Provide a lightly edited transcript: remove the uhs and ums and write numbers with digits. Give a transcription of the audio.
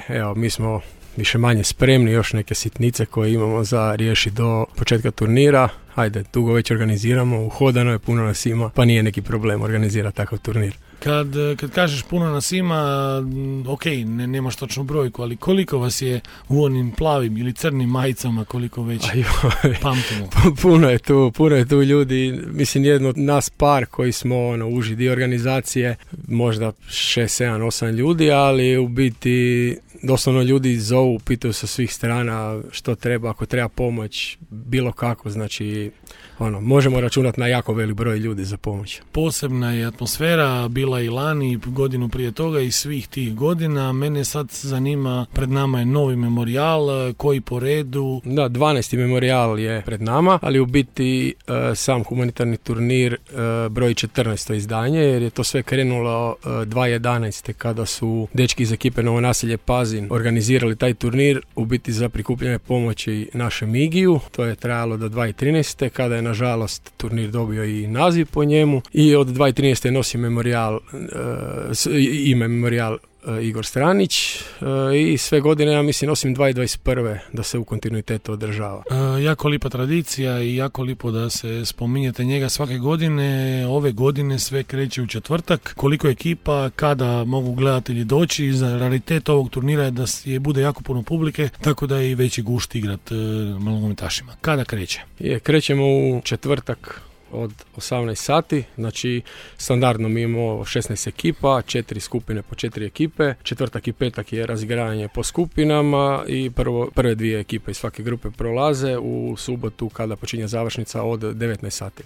Evo, mi smo više manje spremni, još neke sitnice koje imamo za riješiti do početka turnira. Ajde, dugo već organiziramo, uhodano je, puno nas ima, pa nije neki problem organizirati takav turnir. Kad kažeš puno nas ima, ok, nemaš točnu brojku, ali koliko vas je u onim plavim ili crnim majicama, koliko već pamtimo? Puno je tu ljudi, mislim jedno od nas par koji smo uži dio organizacije, možda 6, 7, 8 ljudi, ali u biti doslovno ljudi zovu, pitaju sa svih strana što treba, ako treba pomoć, bilo kako, znači možemo računati na jako velik broj ljudi za pomoć. Posebna je atmosfera, bila i lani, godinu prije toga i svih tih godina. Mene sad zanima, pred nama je novi memorijal, koji po redu? Da, 12. memorijal je pred nama, ali u biti sam humanitarni turnir broj 14. izdanje, jer je to sve krenulo 2011. kada su dečki iz ekipe Novo naselje Pazin organizirali taj turnir, u biti za prikupljanje pomoći našem Igiju. To je trajalo do 2013. kada je nažalost turnir dobio i naziv po njemu i od 2013. nosi ime memorijal Igor Stranić i sve godine, ja mislim, osim 2021. da se u kontinuitetu održava. Jako lipa tradicija i jako lipo da se spominjete njega svake godine. Ove godine sve kreće u četvrtak. Koliko ekipa, kada mogu gledatelji doći? Za raritet ovog turnira je da bude jako puno publike, tako da je i veći gušt igrat nogometašima. Kada kreće? Krećemo u četvrtak od 18 sati, znači standardno mi imamo 16 ekipa, 4 skupine po 4 ekipe, četvrtak i petak je razigravanje po skupinama i prve dvije ekipe iz svake grupe prolaze u subotu kada počinje završnica od 19 sati.